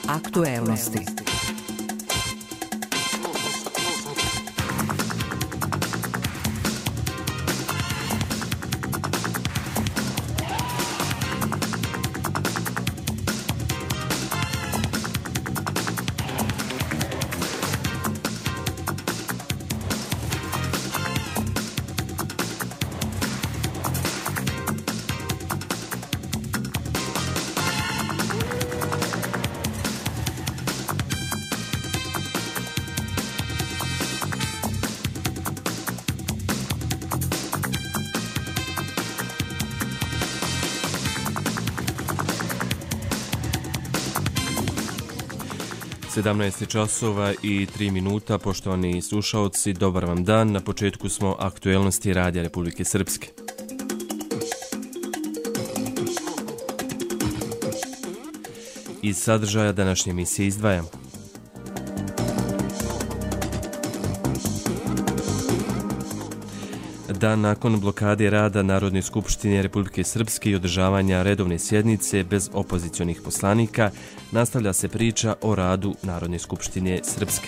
Aktuelnosti. časova i 3 minuta, poštovani slušaoci, dobar vam dan. Na početku smo aktuelnosti Radija Republike Srpske. Iz sadržaja današnje emisije izdvajamo: dan nakon blokade rada Narodne skupštine Republike Srpske i održavanja redovne sjednice bez opozicionih poslanika, nastavlja se priča o radu Narodne skupštine Srpske.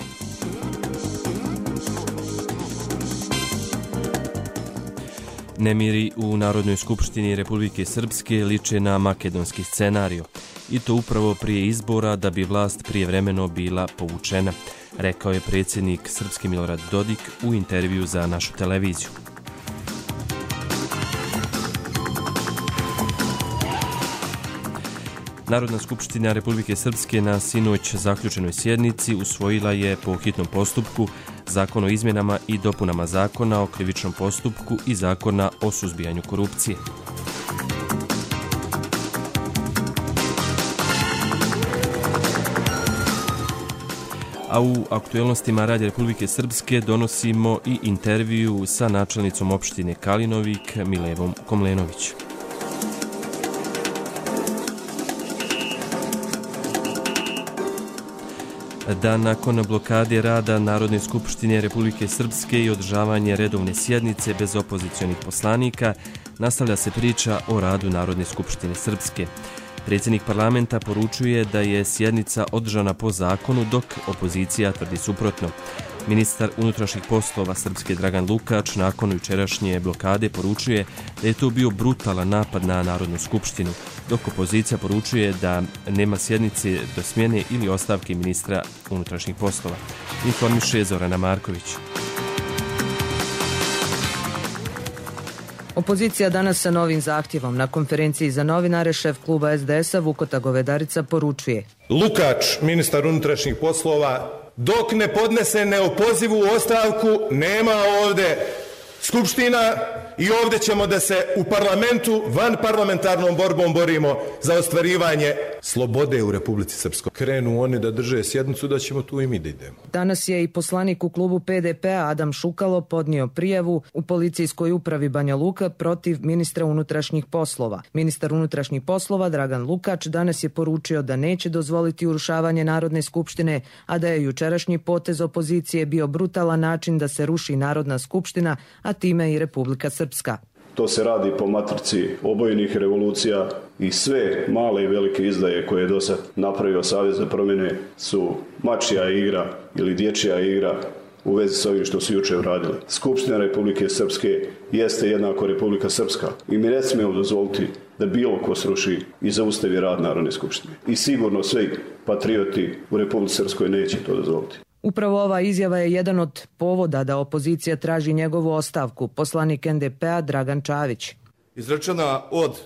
Nemiri u Narodnoj skupštini Republike Srpske liče na makedonski scenariju, i to upravo prije izbora da bi vlast prijevremeno bila povučena, rekao je predsjednik Srpske Milorad Dodik u intervju za našu televiziju. Narodna skupština Republike Srpske na sinoć zaključenoj sjednici usvojila je po hitnom postupku Zakon o izmjenama i dopunama Zakona o krivičnom postupku i Zakona o suzbijanju korupcije. A u aktuelnostima Radija Republike Srpske donosimo i intervju sa načelnicom opštine Kalinovik Milevom Komlenović. Dan nakon blokade rada Narodne skupštine Republike Srpske i održavanje redovne sjednice bez opozicionih poslanika, nastavlja se priča o radu Narodne skupštine Srpske. Predsjednik parlamenta poručuje da je sjednica održana po zakonu, dok opozicija tvrdi suprotno. Ministar unutrašnjih poslova Srpske Dragan Lukač nakon jučerašnje blokade poručuje da je to bio brutalan napad na Narodnu skupštinu, dok opozicija poručuje da nema sjednice do smjene ili ostavke ministra unutrašnjih poslova. Informiše Zorana Marković. Opozicija danas sa novim zahtjevom. Na konferenciji za novinare šef kluba SDS-a Vukota Govedarica poručuje: Lukač, ministar unutrašnjih poslova, dok ne podnese neopozivu ostavku, nema ovdje skupština i ovdje ćemo da se u parlamentu van parlamentarnom borbom borimo za ostvarivanje slobode u Republici Srpskoj. Krenu oni da drže sjednicu, da ćemo tu i mi da idemo. Danas je i poslanik u klubu PDP-a Adam Šukalo podnio prijavu u policijskoj upravi Banja Luka protiv ministra unutrašnjih poslova. Ministar unutrašnjih poslova Dragan Lukač danas je poručio da neće dozvoliti urušavanje Narodne skupštine, a da je jučerašnji potez opozicije bio brutalan način da se ruši Narodna skupština, a time i Republika Srpska. To se radi po matrici obojenih revolucija i sve male i velike izdaje koje je do sad napravio Savez za promjene su mačja igra ili dječja igra u vezi s ovim što su jučer uradili. Skupština Republike Srpske jeste jednako Republika Srpska i mi ne smijemo dozvoliti da bilo ko sruši i zaustavi rad Narodne skupštine. I sigurno svi patrioti u Republici Srpskoj neće to dozvoliti. Upravo ova izjava je jedan od povoda da opozicija traži njegovu ostavku. Poslanik NDP-a Dragan Čavić. Izrečena od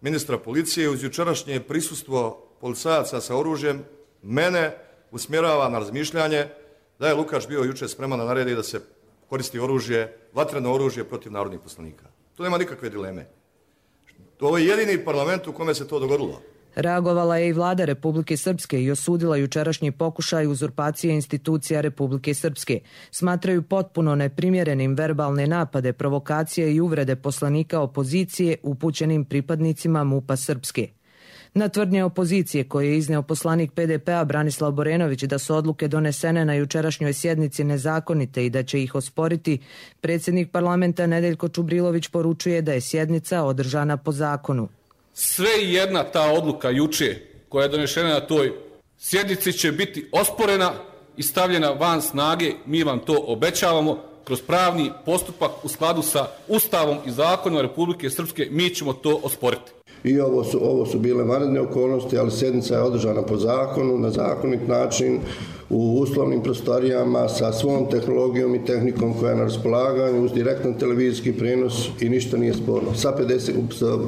ministra policije uz jučerašnje prisustvo policajaca sa oružjem mene usmjerava na razmišljanje da je Lukač bio jučer spreman da naredi da se koristi oružje, vatreno oružje protiv narodnih poslanika. Tu nema nikakve dileme. Ovo je jedini parlament u kome se to dogodilo. Reagovala je i vlada Republike Srpske i osudila jučerašnji pokušaj uzurpacije institucija Republike Srpske. Smatraju potpuno neprimjerenim verbalne napade, provokacije i uvrede poslanika opozicije upućenim pripadnicima MUP-a Srpske. Na tvrdnje opozicije koje je izneo poslanik PDP-a Branislav Borenović da su odluke donesene na jučerašnjoj sjednici nezakonite i da će ih osporiti, predsjednik parlamenta Nedeljko Čubrilović poručuje da je sjednica održana po zakonu. Sve jedna ta odluka juče koja je donešena na toj sjednici će biti osporena i stavljena van snage, mi vam to obećavamo, kroz pravni postupak u skladu sa Ustavom i zakonom Republike Srpske, mi ćemo to osporiti. I ovo su bile vanredne okolnosti, ali sjednica je održana po zakonu, na zakonit način, u uslovnim prostorijama, sa svom tehnologijom i tehnikom koja je na raspolaganju, uz direktan televizijski prenos i ništa nije sporno. Sa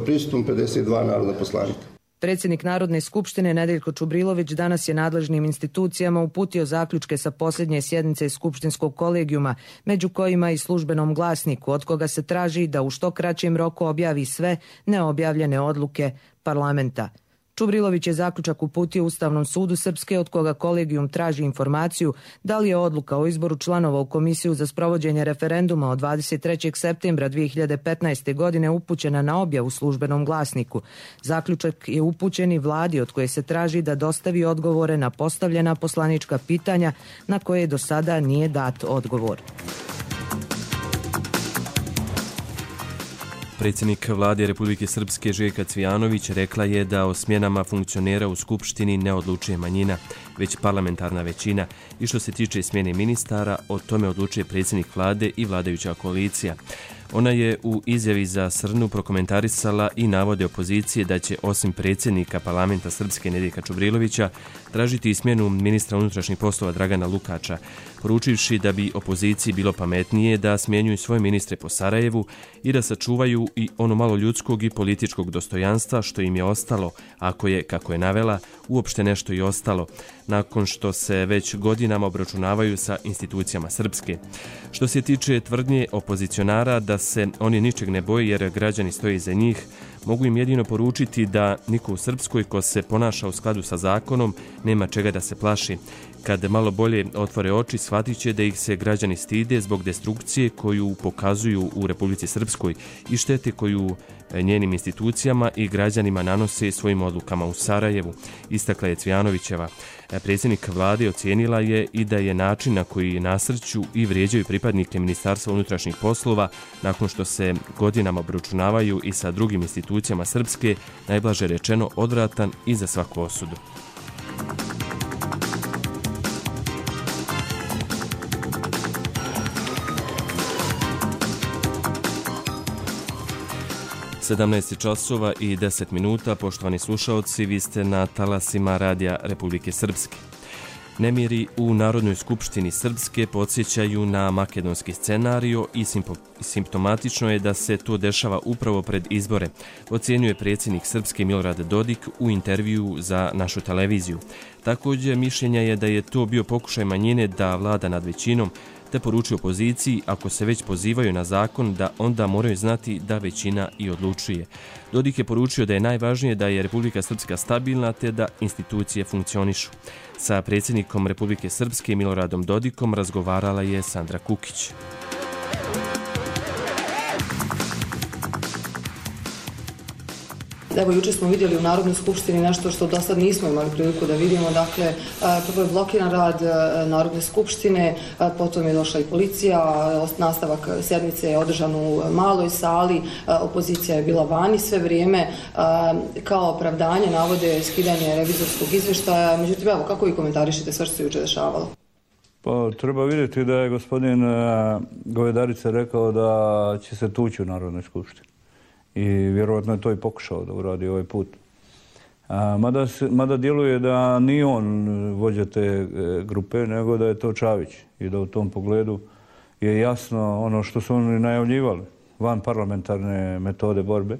prisustvom 52 narodna poslanika. Predsjednik Narodne skupštine Nedeljko Čubrilović danas je nadležnim institucijama uputio zaključke sa posljednje sjednice skupštinskog kolegijuma, među kojima i službenom glasniku, od koga se traži da u što kraćem roku objavi sve neobjavljene odluke parlamenta. Čubrilović je zaključak uputio Ustavnom sudu Srpske, od koga kolegijum traži informaciju da li je odluka o izboru članova u Komisiju za sprovođenje referenduma od 23. septembra 2015. godine upućena na objavu službenom glasniku. Zaključak je upućen i vladi, od koje se traži da dostavi odgovore na postavljena poslanička pitanja na koje do sada nije dat odgovor. Predsjednik vlade Republike Srpske Željka Cvijanović rekla je da o smjenama funkcionera u Skupštini ne odlučuje manjina, već parlamentarna većina, i što se tiče smjene ministara, o tome odlučuje predsjednik vlade i vladajuća koalicija. Ona je u izjavi za Srnu prokomentarisala i navode opozicije da će osim predsjednika parlamenta Srpske Nedeljka Čubrilovića tražiti i smjenu ministra unutrašnjih poslova Dragana Lukača, poručivši da bi opoziciji bilo pametnije da smjenjuju svoje ministre po Sarajevu i da sačuvaju i ono malo ljudskog i političkog dostojanstva što im je ostalo, ako je, kako je navela, uopšte nešto i ostalo, nakon što se već godinama obračunavaju sa institucijama Srpske. Što se tiče tvrdnje opozicionara da se oni ničeg ne boje jer građani stoje iza njih, mogu im jedino poručiti da niko u Srpskoj ko se ponaša u skladu sa zakonom nema čega da se plaši. Kad malo bolje otvore oči, shvatit će da ih se građani stide zbog destrukcije koju pokazuju u Republici Srpskoj i štete koju njenim institucijama i građanima nanose svojim odlukama u Sarajevu, istakla je Cvijanovićeva. Predsjednik vlade ocijenila je i da je način na koji nasrću i vrijeđaju pripadnike Ministarstva unutrašnjih poslova nakon što se godinama obračunavaju i sa drugim institucijama Srpske, najblaže rečeno, odvratan i za svaku osudu. časova i 10 minuta, poštovani slušaoci, vi ste na talasima Radija Republike Srpske. Nemiri u Narodnoj skupštini Srpske podsjećaju na makedonski scenario i simptomatično je da se to dešava upravo pred izbore, ocjenjuje predsjednik Srpske Milorad Dodik u intervjuu za našu televiziju. Također mišljenja je da je to bio pokušaj manjine da vlada nad većinom, te poručuje opoziciji ako se već pozivaju na zakon da onda moraju znati da većina i odlučuje. Dodik je poručio da je najvažnije da je Republika Srpska stabilna te da institucije funkcionišu. Sa predsjednikom Republike Srpske Miloradom Dodikom razgovarala je Sandra Kukić. Evo, juče smo vidjeli u Narodnoj skupštini nešto što do sad nismo imali priliku da vidimo. Dakle, prvo je blokiran rad Narodne skupštine, potom je došla i policija, nastavak sjednice je održan u maloj sali, opozicija je bila vani sve vrijeme, kao opravdanje navode skidanje revizorskog izvještaja. Međutim, evo, kako vi komentarišete sve što se juče dešavalo? Pa, treba vidjeti da je gospodin Govedarica rekao da će se tući u Narodnoj skupštini. I vjerojatno je to i pokušao da uradi ovaj put. Mada djeluje da nije on vođa te grupe, nego da je to Čavić. I da u tom pogledu je jasno ono što su oni najavljivali, van parlamentarne metode borbe.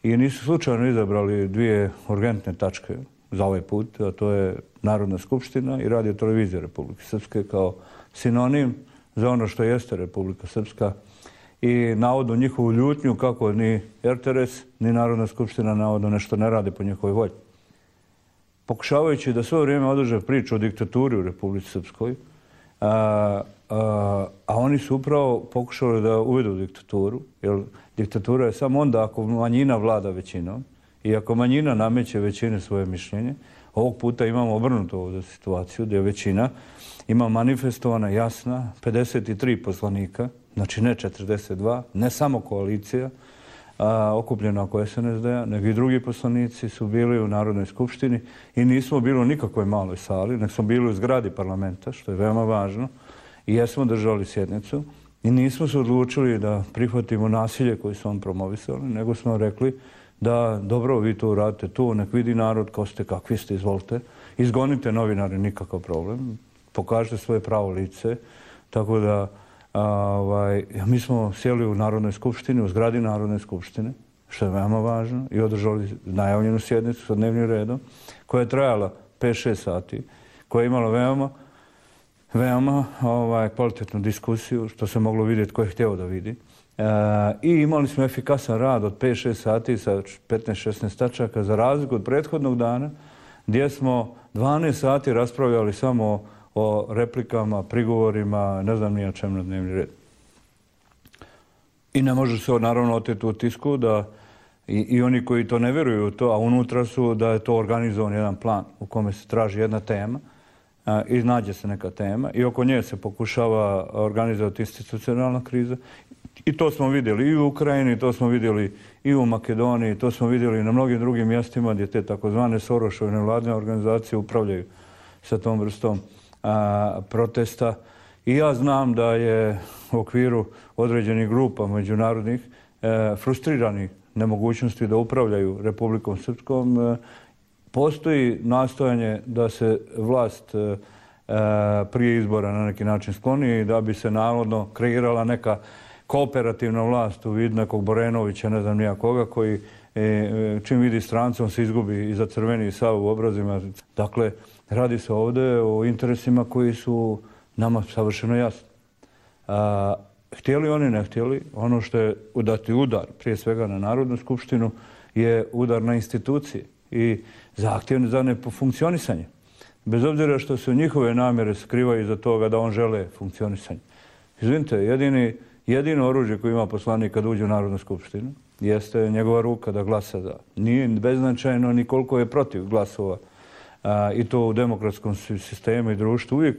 I nisu slučajno izabrali dvije urgentne tačke za ovaj put, a to je Narodna skupština i Radio televizija Republike Srpske kao sinonim za ono što jeste Republika Srpska i navodno njihovu ljutnju kako ni RTS ni Narodna skupština navodno nešto ne radi po njihovoj volji. Pokušavajući da sve vrijeme održe priču o diktaturi u Republici Srpskoj, a oni su upravo pokušali da uvedu diktaturu, jer diktatura je samo onda ako manjina vlada većinom i ako manjina nameće većine svoje mišljenje. Ovog puta imamo obrnutu ovdje situaciju gdje većina ima manifestovana jasna 53 poslanika, znači ne 42, ne samo koalicija, okupljena oko SNSD-a, nego i drugi poslanici su bili u Narodnoj skupštini i nismo bili u nikakvoj maloj sali, nego smo bili u zgradi parlamenta, što je veoma važno, i jesmo držali sjednicu i nismo se odlučili da prihvatimo nasilje koje su on promovisali, nego smo rekli da dobro, vi to uradite tu, nek vidi narod ko ste, kakvi ste, izvolite, izgonite novinare, nikakav problem, pokažite svoje pravo lice, tako da mi smo sjeli u Narodnoj skupštini, u zgradi Narodne skupštine, što je veoma važno, i održali najavljenu sjednicu sa dnevnim redom, koja je trajala 5-6 sati, koja je imala veoma kvalitetnu diskusiju, što se moglo vidjeti ko je htio da vidi. I imali smo efikasan rad od 5-6 sati sa 15-16 tačaka, za razliku od prethodnog dana, gdje smo 12 sati raspravljali samo o replikama, prigovorima, ne znam ni o čem na dnevni red. I ne može se naravno oteti u tisku da i oni koji to ne vjeruju u to, a unutra su da je to organizovan jedan plan u kome se traži jedna tema i nađe se neka tema i oko nje se pokušava organizovati institucionalna kriza. I to smo vidjeli i u Ukrajini, to smo vidjeli i u Makedoniji, to smo vidjeli na mnogim drugim mjestima gdje te takozvane Sorošove nevladine organizacije upravljaju sa tom vrstom protesta. I ja znam da je u okviru određenih grupa međunarodnih frustrirani nemogućnosti da upravljaju Republikom Srpskom. Postoji nastojanje da se vlast prije izbora na neki način skloni i da bi se navodno kreirala neka kooperativna vlast u vidu nekog Borenovića, ne znam nija koga, koji čim vidi strancom se izgubi iza crveni sav u obrazima. Dakle, radi se ovdje o interesima koji su nama savršeno jasni. Htjeli oni, ne htjeli, ono što je dati udar, prije svega na Narodnu skupštinu, je udar na institucije i zahtjev za nefunkcionisanje. Bez obzira što se njihove namjere skrivaju iza toga da on žele funkcionisanje. Izvinite, jedino oružje koje ima poslanik kad uđe u Narodnu skupštinu jeste njegova ruka da glasa za. Nije beznačajno ni koliko je protiv glasova. I to u demokratskom sistemu i društvu uvijek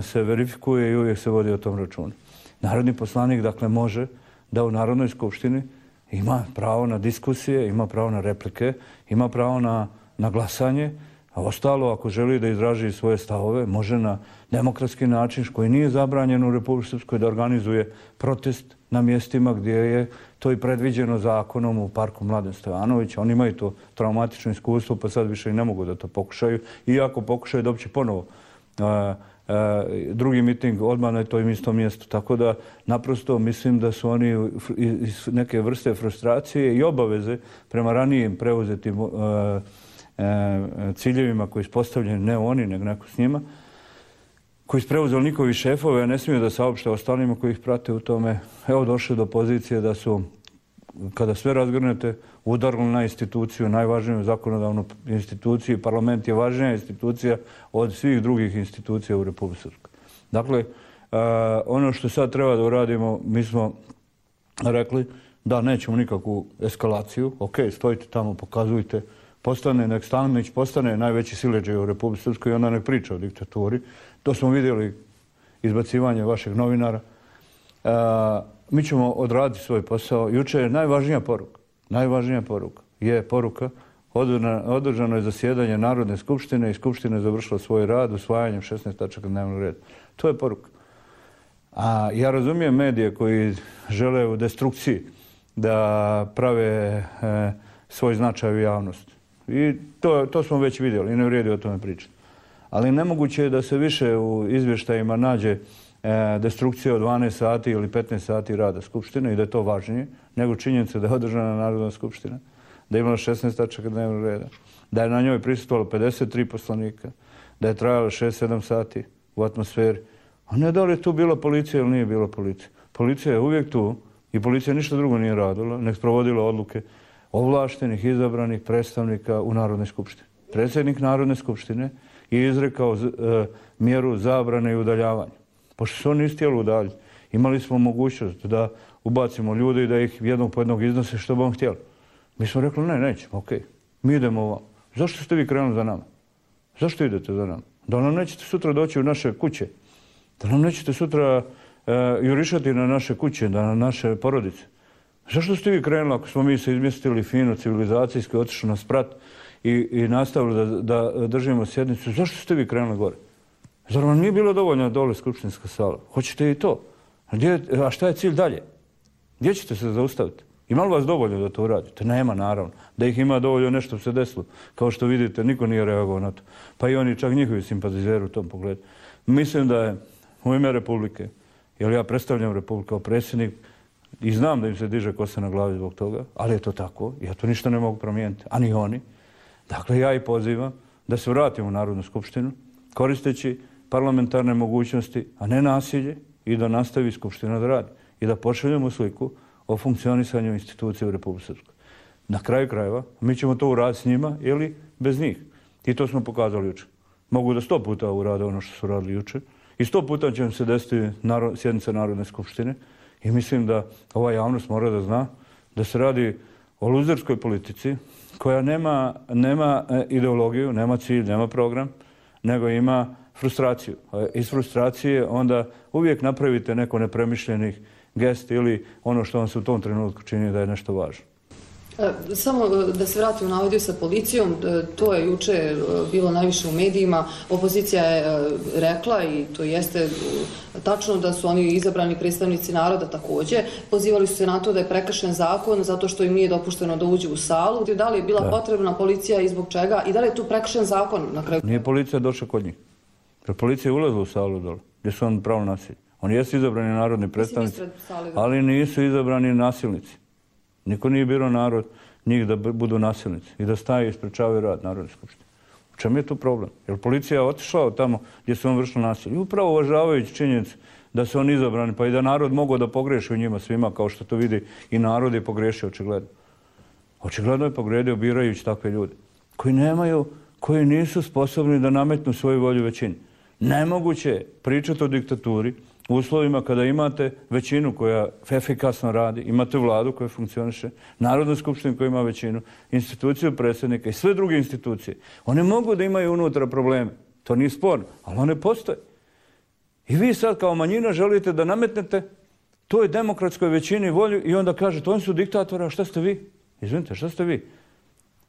se verifikuje i uvijek se vodi o tom računu. Narodni poslanik, dakle, može da u Narodnoj skupštini ima pravo na diskusije, ima pravo na replike, ima pravo na glasanje, a ostalo, ako želi da izraži svoje stavove, može na demokratski način, koji nije zabranjen u Republici Srpskoj, da organizuje protest na mjestima gdje je to i predviđeno zakonom u parku Mladen Stevanović. Oni imaju to traumatično iskustvo, pa sad više i ne mogu da to pokušaju. Iako pokušaju da će ponovo drugi miting odmah na tom istom mjestu. Tako da naprosto mislim da su oni iz neke vrste frustracije i obaveze prema ranijim preuzetim ciljevima koji su postavljeni, ne oni, nego neko s njima, koji su preuzeli njihovi šefove, a ne smiju da saopšte ostalima koji ih prate u tome. Evo, došli do pozicije da su, kada sve razgrnete, udarili na instituciju, najvažniju zakonodavnu instituciju. Parlament je važnija institucija od svih drugih institucija u Republici Srpskoj. Dakle, ono što sad treba da uradimo, mi smo rekli da nećemo nikakvu eskalaciju. Ok, stojite tamo, pokazujte, nek Stanić postane najveći siledžaj u Republici Srpskoj i onda nek priča o diktaturi. To smo vidjeli, izbacivanje vašeg novinara. Mi ćemo odraditi svoj posao. Juče je najvažnija poruka je poruka održano je zasjedanje Narodne skupštine i Skupština je završila svoj rad usvajanjem 16 tačaka dnevnog reda. To je poruka. A ja razumijem medije koji žele u destrukciji da prave svoj značaj u javnosti. I to smo već vidjeli i ne vrijedi o tome pričati. Ali nemoguće je da se više u izvještajima nađe destrukcija od 12 sati ili 15 sati rada Skupštine i da je to važnije nego činjenica da je održana Narodna skupština, da je imala 16 tačaka dnevnog reda, da je na njoj prisustvovalo 53 poslanika, da je trajalo 6-7 sati u atmosferi. A ne da li je tu bila policija ili nije bila policija. Policija je uvijek tu i policija ništa drugo nije radila, nek sprovodila odluke ovlaštenih, izabranih predstavnika u Narodnoj skupštini. Predsjednik Narodne skupštine je izrekao mjeru zabrane i udaljavanja. Pošto se oni nisu htjeli udaljiti, imali smo mogućnost da ubacimo ljude i da ih jednog po jednog iznose što bi on htjeli. Mi smo rekli, ne, nećemo, okej. Mi idemo ovamo. Zašto ste vi krenuli za nama? Zašto idete za nama? Da nam nećete sutra doći u naše kuće? Da nam nećete sutra jurišati na naše kuće, na naše porodice? Zašto ste vi krenuli ako smo mi se izmjestili fino, civilizacijski, otišli na sprat i nastavili da držimo sjednicu? Zašto ste vi krenuli gore? Zar vam nije bilo dovoljno dole skupštinska sala? Hoćete i to? A šta je cilj dalje? Gdje ćete se zaustaviti? Ima li vas dovoljno da to uradite? Nema, naravno. Da ih ima dovoljno, nešto se desilo. Kao što vidite, niko nije reagovao na to. Pa i oni, čak njihovi simpatizeri u tom pogledu. Mislim da je u ime Republike, jer ja predstavljam Republiku kao predsjednik i znam da im se diže kosa na glavi zbog toga, ali je to tako. Ja to ništa ne mogu promijeniti, a ni oni. Dakle, ja i pozivam da se vratimo u Narodnu skupštinu, koristeći parlamentarne mogućnosti, a ne nasilje, i da nastavi Skupština da radi. I da pošaljemo sliku o funkcionisanju institucije u Republici Srpskoj. Na kraju krajeva, mi ćemo to uraditi s njima ili bez njih. I to smo pokazali jučer. Mogu da 100 puta urade ono što su radili jučer. I 100 puta će vam se desiti sjednica Narodne skupštine. I mislim da ova javnost mora da zna da se radi o luzerskoj politici koja nema ideologiju, nema cilj, nema program, nego ima frustraciju. Iz frustracije onda uvijek napravite neko nepremišljenih gest ili ono što vam se u tom trenutku čini da je nešto važno. Samo da se vratimo na audio sa policijom, to je juče bilo najviše u medijima. Opozicija je rekla, i to jeste tačno, da su oni izabrani predstavnici naroda također. Pozivali su se na to da je prekršen zakon zato što im nije dopušteno da uđu u salu. Da li je bila potrebna policija i zbog čega? I da li je tu prekršen zakon na kraju? Nije policija došla kod njih. Jer policija je ulazila u salu dole, gdje su oni pravo nasilje. Oni jesu izabrani narodni predstavnici, ali nisu izabrani nasilnici. Niko nije birao narod njih da budu nasilnici i da staje i sprečavaju rad Narodne skupštine. U čemu je tu problem? Jer policija je otišla tamo gdje su on vršili nasilje. I upravo uvažavajući činjenicu da su oni izabrani, pa i da narod mogao da pogreši u njima svima, kao što to vidi i narod je pogrešio očigledno. Očigledno je pogredio birajući takve ljude koji nisu sposobni da nametnu svoju volju većini. Nemoguće je pričati o diktaturi u uslovima kada imate većinu koja efikasno radi, imate vladu koja funkcioniše, Narodnu skupštinu koja ima većinu, instituciju predsjednika i sve druge institucije. One mogu da imaju unutra probleme, to nije sporno, ali one postoje. I vi sad kao manjina želite da nametnete toj demokratskoj većini volju i onda kažete, oni su diktatori, a šta ste vi? Izvinite, šta ste vi?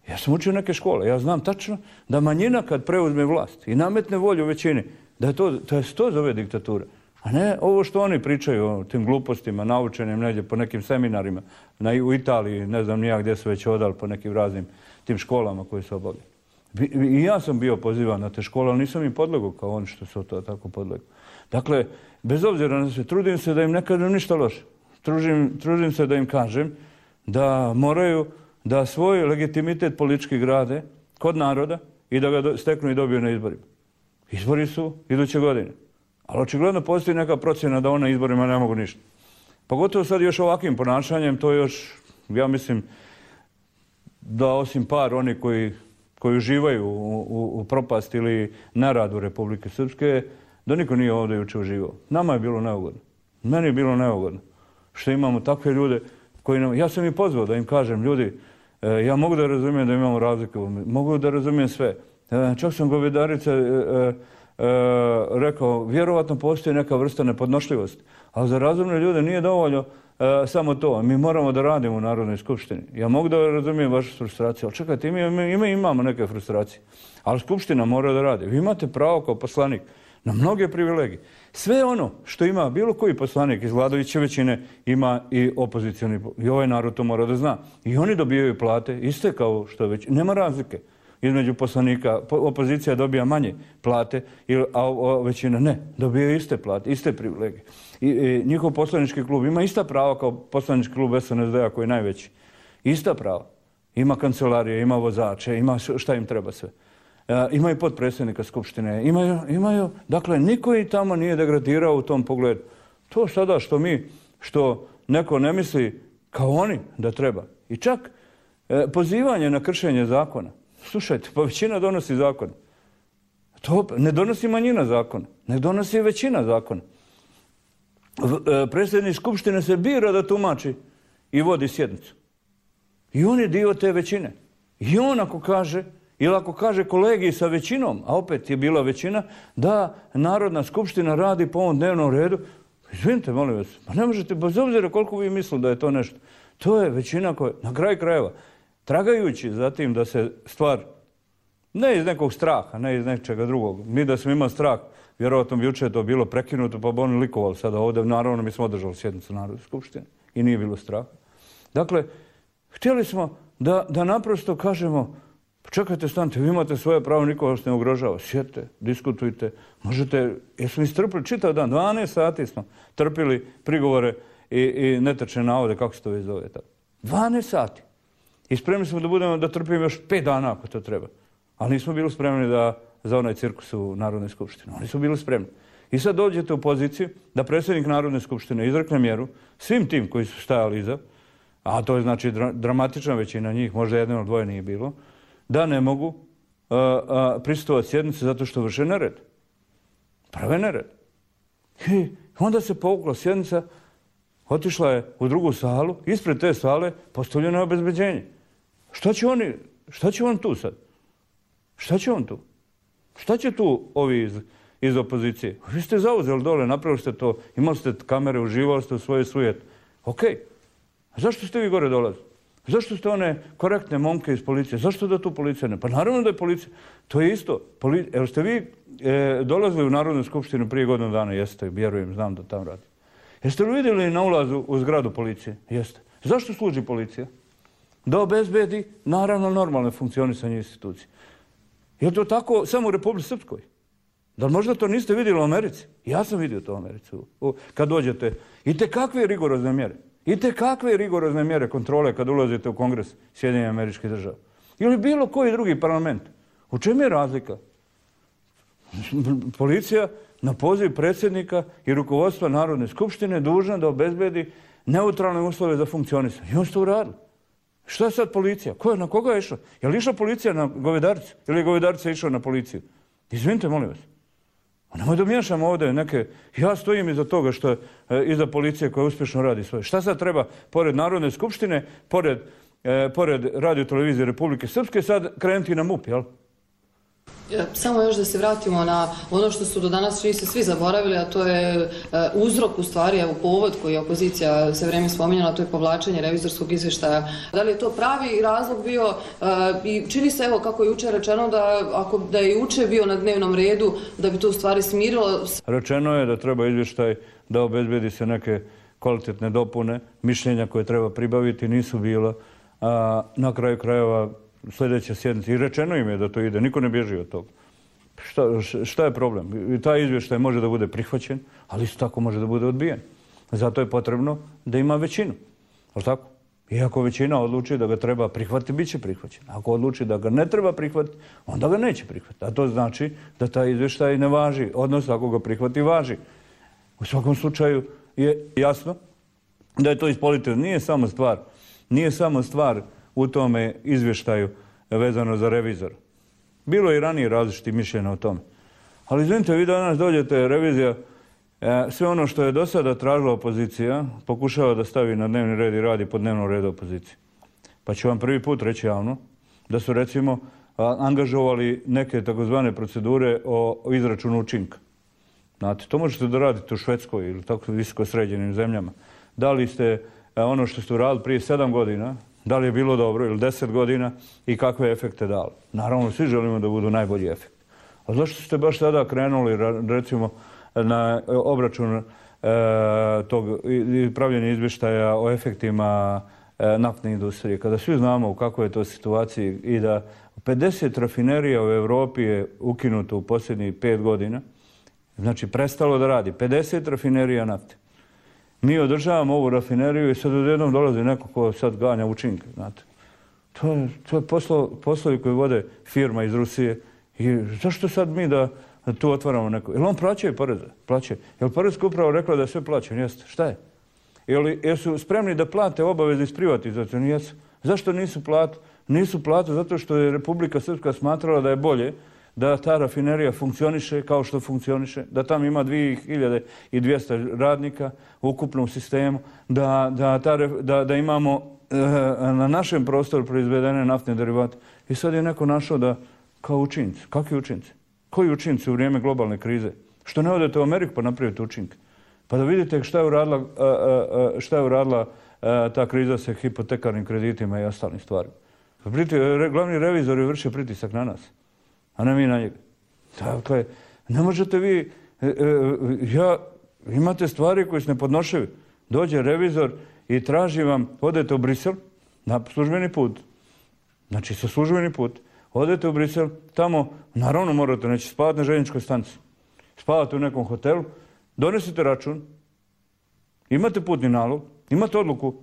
Ja sam učio neke škole, ja znam tačno da manjina kad preuzme vlast i nametne volju većini, da se to zove diktatura. A ne ovo što oni pričaju o tim glupostima, naučenim negdje po nekim seminarima, u Italiji, ne znam nijak gdje su već odali po nekim raznim tim školama koje su obavljali. I ja sam bio pozivan na te škole, ali nisam im podlegao kao oni što su to tako podlegao. Dakle, bez obzira na sve, trudim se da im ne kažem ništa loše. Trudim se da im kažem da moraju da svoj legitimitet politički grade kod naroda i da ga steknu i dobiju na izborima. Izbori su iduće godine. Ali očigledno postoji neka procjena da ona na izborima ne mogu ništa. Pogotovo sad još ovakvim ponašanjem, to još, ja mislim, da osim par oni koji uživaju u propast ili neradu Republike Srpske, da niko nije ovdje jučer uživao. Nama je bilo neugodno. Meni je bilo neugodno što imamo takve ljude koji nam... Ja sam i pozvao da im kažem, ljudi, ja mogu da razumijem da imamo razlike, mogu da razumijem sve. Čak sam govedarice rekao, vjerovatno postoji neka vrsta nepodnošljivosti, ali za razumne ljude nije dovoljno samo to. Mi moramo da radimo u Narodnoj skupštini. Ja mogu da razumijem vašu frustraciju, ali čekajte, imamo neke frustracije. Ali skupština mora da radi. Vi imate pravo kao poslanik na mnoge privilegije. Sve ono što ima bilo koji poslanik iz vladajuće većine ima i opozicioni. I ovaj narod to mora da zna. I oni dobijaju plate iste kao što već. Nema razlike između poslanika. Opozicija dobija manje plate, a većina ne. Dobijaju iste plate, iste privilegije. I njihov poslanički klub ima ista prava kao poslanički klub SNSD-a koji je najveći. Ista prava. Ima kancelarije, ima vozače, ima šta im treba sve. Imaju potpredsjednika skupštine, imaju, dakle, niko i tamo nije degradirao u tom pogledu. To sada što neko ne misli kao oni da treba. I čak pozivanje na kršenje zakona. Slušajte, pa većina donosi zakon. To ne donosi manjina zakona, ne donosi većina zakona. Predsjednik skupštine se bira da tumači i vodi sjednicu. I on je dio te većine. I on ako kaže, ili ako kaže kolegiji sa većinom, a opet je bila većina, da Narodna skupština radi po ovom dnevnom redu, izvinite, molim vas, pa ne možete, bez obzira koliko vi mislili da je to nešto, To je većina koja, na kraju krajeva, tragajući za tim da se stvar, ne iz nekog straha, ne iz nečega drugog. Mi da smo imali strah, vjerovatno bi jučer to bilo prekinuto, pa bi oni likovali sada ovdje. Naravno, mi smo održali sjednicu Narodne skupštine i nije bilo straha. Dakle, htjeli smo da naprosto kažemo, čekajte, stanite, vi imate svoje pravo, niko vas ne ugrožava. Sjedite, diskutujte, možete, jesmo istrpili čitav dan, 12 sati smo trpili prigovore i netočne navode, kako se to već zove. 12 sati. I spremni smo da trpimo još 5 dana ako to treba. Ali nismo bili spremni za onaj cirkus u Narodnoj skupštini. Oni su bili spremni. I sad dođete u poziciju da predsjednik Narodne skupštine izrekne mjeru svim tim koji su stajali iza, a to je znači dramatična većina njih, možda jedno ili dvoje nije bilo, da ne mogu prisustvovati sjednici zato što vrše nered. Prave nered. I onda se povukla sjednica, otišla je u drugu salu, ispred te sale postavljeno je obezbeđenje. Šta će on tu sad? Šta će on tu? Šta će tu ovi iz opozicije? Vi ste zauzeli dole, napravili ste to, imali ste kamere, uživali ste u svojoj sujeti. Ok. A zašto ste vi gore dolazili? Zašto ste one korektne momke iz policije? Zašto da tu policija ne? Pa naravno da je policija. To je isto. Jel ste vi dolazili u Narodnu skupštinu prije godinu dana? Jeste, vjerujem, znam da tam radi. Jeste li vidjeli na ulazu u zgradu policije? Jeste. Zašto služi policija? Da obezbedi, naravno, normalne funkcionisanje institucije. Je to tako samo u Republici Srpskoj? Da li možda to niste vidjeli u Americi? Ja sam vidio to u Americi. Kad dođete, i te kakve rigorozne mjere? I te kakve rigorozne mjere kontrole kad ulazite u Kongres Sjedinjenih Američkih Država? Ili bilo koji drugi parlament? U čemu je razlika? Policija na poziv predsjednika i rukovodstva Narodne skupštine dužna da obezbedi neutralne uslove za funkcionisanje. I oni su to uradili. Šta je sad policija? Na koga je išla? Je li išla policija na govedaricu? Ili je govedarica išla na policiju? Izvinite, molim vas. Nemoj da miješamo ovdje neke... Ja stojim iza toga što je iza policije koja uspješno radi svoje. Šta sad treba, pored Narodne skupštine, pored Radio televizije Republike Srpske, sad krenuti na MUP, jel? Samo još da se vratimo na ono što su do danas svi zaboravili, a to je uzrok u stvari, evo povod koji je opozicija sve vrijeme spominjala, to je povlačenje revizorskog izvještaja. Da li je to pravi razlog bio i čini se, evo kako je jučer rečeno, da je jučer bio na dnevnom redu, da bi to u stvari smirilo. Rečeno je da treba izvještaj da obezbedi se neke kvalitetne dopune, mišljenja koje treba pribaviti, nisu bila. Na kraju krajeva sljedeća sjednica. I rečeno im je da to ide. Niko ne bježi od toga. Šta je problem? I taj izvještaj može da bude prihvaćen, ali isto tako može da bude odbijen. Zato je potrebno da ima većinu. Ali tako? I ako većina odluči da ga treba prihvatiti, bit će prihvaćen. Ako odluči da ga ne treba prihvatiti, onda ga neće prihvatiti. A to znači da taj izvještaj ne važi. Odnosno, ako ga prihvati, važi. U svakom slučaju je jasno da je to ispolitizirano. Nije samo stvar u tome izvještaju vezano za revizor. Bilo je i ranije različitih mišljenja o tome. Ali izvinite, vi danas dođete, revizija, sve ono što je do sada tražila opozicija, pokušava da stavi na dnevni red i radi po dnevnom redu opozicije. Pa ću vam prvi put reći javno da su recimo angažovali neke takozvane procedure o izračunu učinka. Znate, to možete da radite u Švedskoj ili tako visoko sređenim zemljama. Da li ste ono što ste uradili prije 7 godina, da li je bilo dobro ili 10 godina i kakve efekte dali. Naravno, svi želimo da budu najbolji efekt. A zašto ste baš sada krenuli, recimo, na obračun tog pravljenja izvještaja o efektima naftne industrije, kada svi znamo u kakvoj je to situaciji i da 50 rafinerija u Europi je ukinuto u posljednjih 5 godina, znači prestalo da radi, 50 rafinerija nafte. Mi održavamo ovu rafineriju i sad odjednom dolazi neko ko sad ganja učinke, znate. To je poslovi koji vode firma iz Rusije. I zašto sad mi da tu otvaramo neko? Jel on plaćaju poreze? Plaćaju. Jel Porezka uprava rekla da je sve plaćeno? Jeste. Šta je? Jesu spremni da plate obavezni iz privatizacije? Jesu. Zašto nisu plate? Nisu plate zato što je Republika Srpska smatrala da je bolje da ta rafinerija funkcioniše kao što funkcioniše, da tam ima 2200 radnika u ukupnom sistemu, da imamo na našem prostoru proizvedene naftne derivate. I sad je neko našao da kao učinci. Kakvi učinci? Koji učinci u vrijeme globalne krize? Što ne odete u Ameriku pa napravite učinke? Pa da vidite šta je uradila ta kriza sa hipotekarnim kreditima i ostalim stvarima. Glavni revizor je vršio pritisak na nas, a ne mi na njega. Dakle, ne možete vi, imate stvari koje su nepodnošljive. Dođe revizor i traži vam, odete u Brisel na službeni put, znači sa službeni put, odete u Brisel, tamo naravno morate neći spavati na željezničkoj stanici, spavate u nekom hotelu, donesite račun, imate putni nalog, imate odluku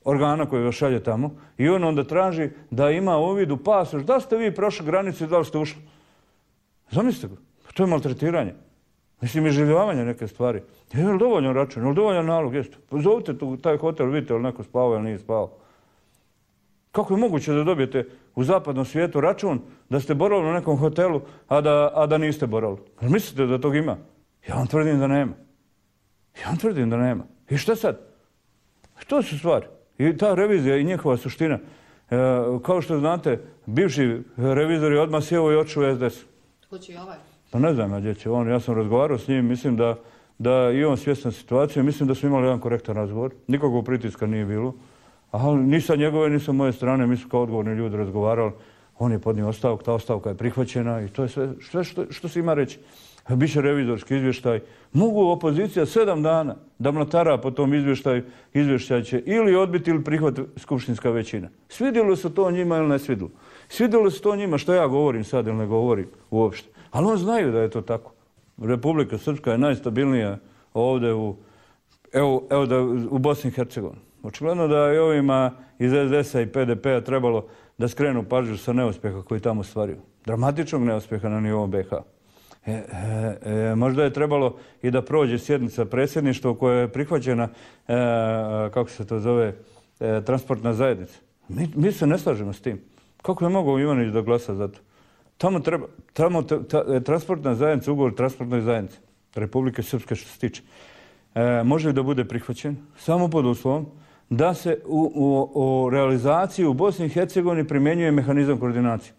organa koji vas šalje tamo i on onda traži da ima uvid u pasoš, da ste vi prošli granicu i da li ste ušli. Zamislite ga, to je maltretiranje. Mislim, iživljavanje neke stvari. Je li dovoljan račun, je li dovoljan nalog? Jeste. Pozovite taj hotel, vidite li neko spavao ili nije spavao. Kako je moguće da dobijete u zapadnom svijetu račun da ste boravili u nekom hotelu, a da niste boravili? Mislite da tog ima? Ja vam tvrdim da nema. I šta sad? To su stvari. I ta revizija i njihova suština. Kao što znate, bivši revizor je odmah sjeo i otišao u SDS. Tko će i ovaj? Pa ne znam gdje će on. Ja sam razgovarao s njim, mislim da i on svjestan situacije. Mislim da smo imali jedan korektan razgovor. Nikakvog pritiska nije bilo. Ali ni sa njegove, ni sa moje strane. Mi smo kao odgovorni ljudi razgovarali. On je podnio ostavku, ta ostavka je prihvaćena i to je sve što se ima reći. Biće revizorski izvještaj. Mogu opozicija 7 dana da mlatara po tom izvještaj će ili odbiti ili prihvat skupštinska većina. Svidjelo se to njima ili ne svidjelo? Svidjelo se to njima što ja govorim sad ili ne govorim uopšte. Ali on znaju da je to tako. Republika Srpska je najstabilnija ovdje u Bosni i Hercegovini. Očigledno da je ovima iz SDS-a i PDP-a trebalo da skrenu pažnju sa neuspjeha koji tamo stvaraju. Dramatičnog neuspjeha na nivou BiH. Možda je trebalo i da prođe sjednica predsjedništva u kojoj je prihvaćena, kako se to zove, transportna zajednica. Mi se ne slažemo s tim. Kako je mogao Ivanić da glasa za to? Transportna zajednica, ugovor transportnoj zajednici Republike Srpske što se tiče, može da bude prihvaćen samo pod uslovom da se u realizaciji u Bosni i Hercegovini primjenjuje mehanizam koordinacije.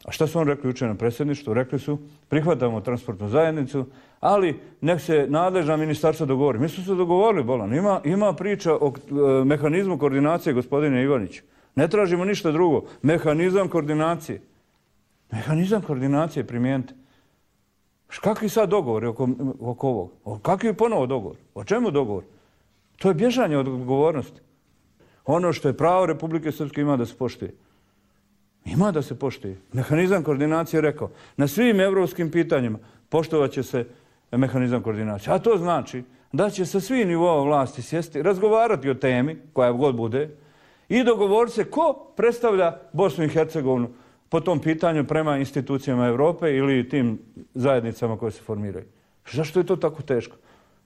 A šta su on rekli jučer na predsjedništvu? Rekli su, prihvatamo transportnu zajednicu, ali nek se nadležna ministarstva dogovori. Mi smo se dogovorili, bolan. Ima priča o mehanizmu koordinacije, gospodine Ivaniću. Ne tražimo ništa drugo. Mehanizam koordinacije. Mehanizam koordinacije primijenite. Kakvi sad dogovori oko ovog? Kakvi je ponovo dogovor? O čemu dogovor? To je bježanje od odgovornosti. Ono što je pravo Republike Srpske ima da se poštuje. Ima da se poštuje. Mehanizam koordinacije je rekao, na svim evropskim pitanjima poštovat će se mehanizam koordinacije. A to znači da će sa svih nivoa vlasti sjesti, razgovarati o temi, koja god bude, i dogovoriti se ko predstavlja Bosnu i Hercegovinu po tom pitanju prema institucijama Europe ili tim zajednicama koje se formiraju. Zašto je to tako teško?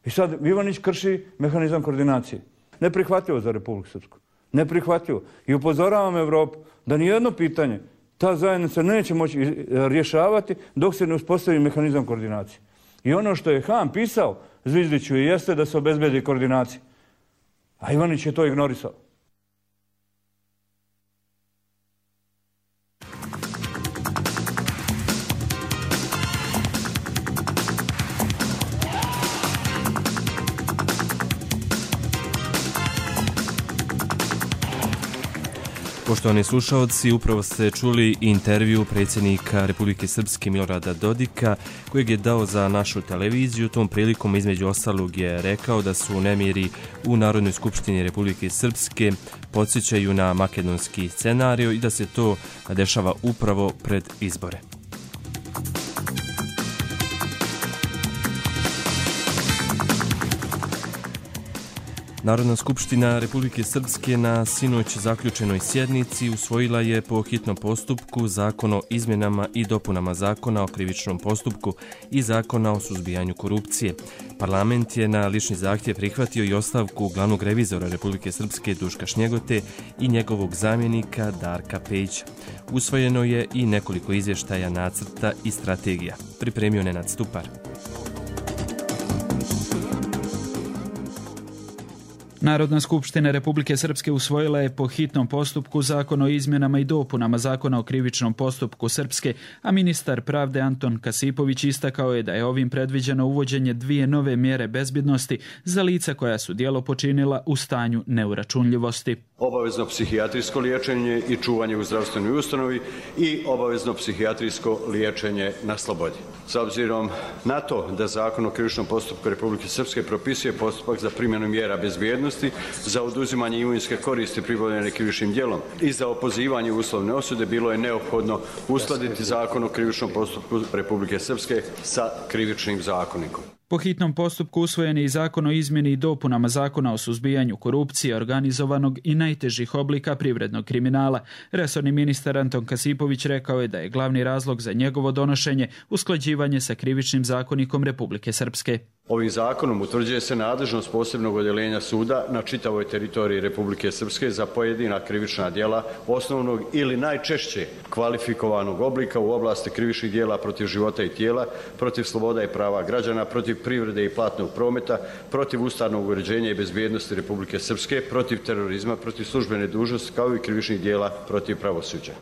I sad Ivanić krši mehanizam koordinacije. Neprihvatljivo za Republiku Srpsku. Neprihvatljivo. I upozoravam Evropu da nijedno pitanje ta zajednica neće moći rješavati dok se ne uspostavi mehanizam koordinacije. I ono što je Han pisao Zvizdiću jeste da se obezbedi koordinacija. A Ivanić je to ignorisao. Poštovani slušalci, upravo ste čuli intervju predsjednika Republike Srpske Milorada Dodika, kojeg je dao za našu televiziju. Tom prilikom između ostalog je rekao da su nemiri u Narodnoj skupštini Republike Srpske podsjećaju na makedonski scenarij i da se to dešava upravo pred izbore. Narodna skupština Republike Srpske na sinoć zaključenoj sjednici usvojila je po hitnom postupku Zakon o izmjenama i dopunama Zakona o krivičnom postupku i Zakona o suzbijanju korupcije. Parlament je na lični zahtjev prihvatio i ostavku glavnog revizora Republike Srpske Duška Šnjegote i njegovog zamjenika Darka Pejića. Usvojeno je i nekoliko izvještaja, nacrta i strategija. Pripremio Nenad Stupar. Narodna skupština Republike Srpske usvojila je po hitnom postupku Zakon o izmjenama i dopunama Zakona o krivičnom postupku Srpske, a ministar pravde Anton Kasipović istakao je da je ovim predviđeno uvođenje 2 nove mjere bezbjednosti za lica koja su djelo počinila u stanju neuračunljivosti. Obavezno psihijatrijsko liječenje i čuvanje u zdravstvenoj ustanovi i obavezno psihijatrijsko liječenje na slobodi. S obzirom na to da Zakon o krivičnom postupku Republike Srpske propisuje postupak za primjenu mjera bezbjednosti, za oduzimanje imovinske koristi pribavljene krivičnim djelom i za opozivanje uslovne osude, bilo je neophodno uskladiti Zakon o krivičnom postupku Republike Srpske sa krivičnim zakonikom. Po hitnom postupku usvojen je i Zakon o izmjeni i dopunama Zakona o suzbijanju korupcije, organizovanog i najtežih oblika privrednog kriminala. Resorni ministar Anton Kasipović rekao je da je glavni razlog za njegovo donošenje usklađivanje sa krivičnim zakonikom Republike Srpske. Ovim zakonom utvrđuje se nadležnost posebnog odjeljenja suda na čitavoj teritoriji Republike Srpske za pojedina krivična djela osnovnog ili najčešće kvalifikovanog oblika u oblasti krivičnih djela protiv života i tijela, protiv sloboda i prava građana, protiv privrede i platnog prometa, protiv ustavnog uređenja i bezbjednosti Republike Srpske, protiv terorizma, protiv službene dužnosti, kao i krivičnih djela protiv pravosuđa.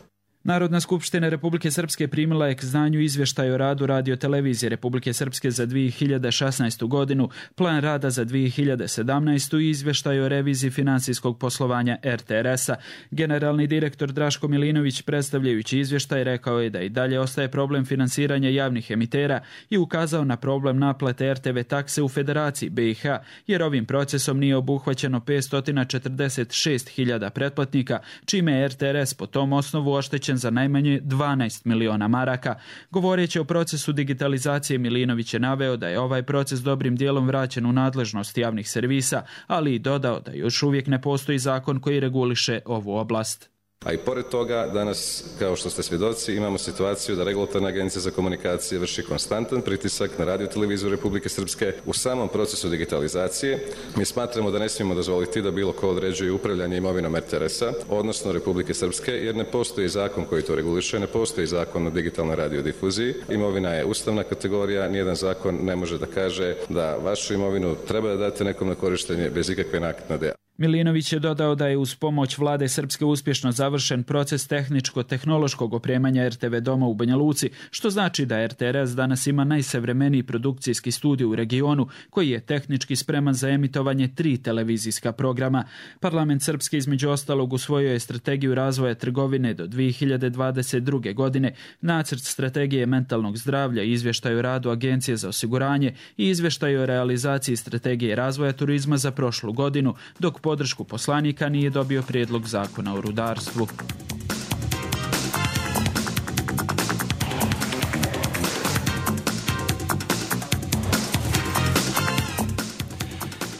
Narodna skupština Republike Srpske primila je k znanju izvještaj o radu Radio-televizije Republike Srpske za 2016. godinu, plan rada za 2017. i izvještaj o reviziji finansijskog poslovanja RTRS-a. Generalni direktor Draško Milinović, predstavljajući izvještaj, rekao je da i dalje ostaje problem finansiranja javnih emitera i ukazao na problem naplate RTV takse u Federaciji BiH, jer ovim procesom nije obuhvaćeno 546.000 pretplatnika, čime je RTRS po tom osnovu oštećen za najmanje 12 miliona maraka. Govoreći o procesu digitalizacije, Milinović je naveo da je ovaj proces dobrim dijelom vraćen u nadležnost javnih servisa, ali i dodao da još uvijek ne postoji zakon koji reguliše ovu oblast. A i pored toga, danas, kao što ste svjedoci, imamo situaciju da Regulatorna agencija za komunikacije vrši konstantan pritisak na Radio-televiziju Republike Srpske u samom procesu digitalizacije. Mi smatramo da ne smijemo dozvoliti da bilo ko određuje upravljanje imovinom RTRS-a, odnosno Republike Srpske, jer ne postoji zakon koji to reguliše, ne postoji zakon o digitalnoj radiodifuziji. Imovina je ustavna kategorija, nijedan zakon ne može da kaže da vašu imovinu treba da date nekom na korištenje bez ikakve naknade. Milinović je dodao da je uz pomoć vlade Srpske uspješno završen proces tehničko-tehnološkog opremanja RTV doma u Banja Luci, što znači da RTRS danas ima najsavremeniji produkcijski studij u regionu koji je tehnički spreman za emitovanje 3 televizijska programa. Parlament Srpske između ostalog usvojio je strategiju razvoja trgovine do 2022. godine, nacrt strategije mentalnog zdravlja, izvještaj o radu Agencije za osiguranje i izvještaj o realizaciji strategije razvoja turizma za prošlu godinu, dok podršku poslanika nije dobio prijedlog zakona o rudarstvu.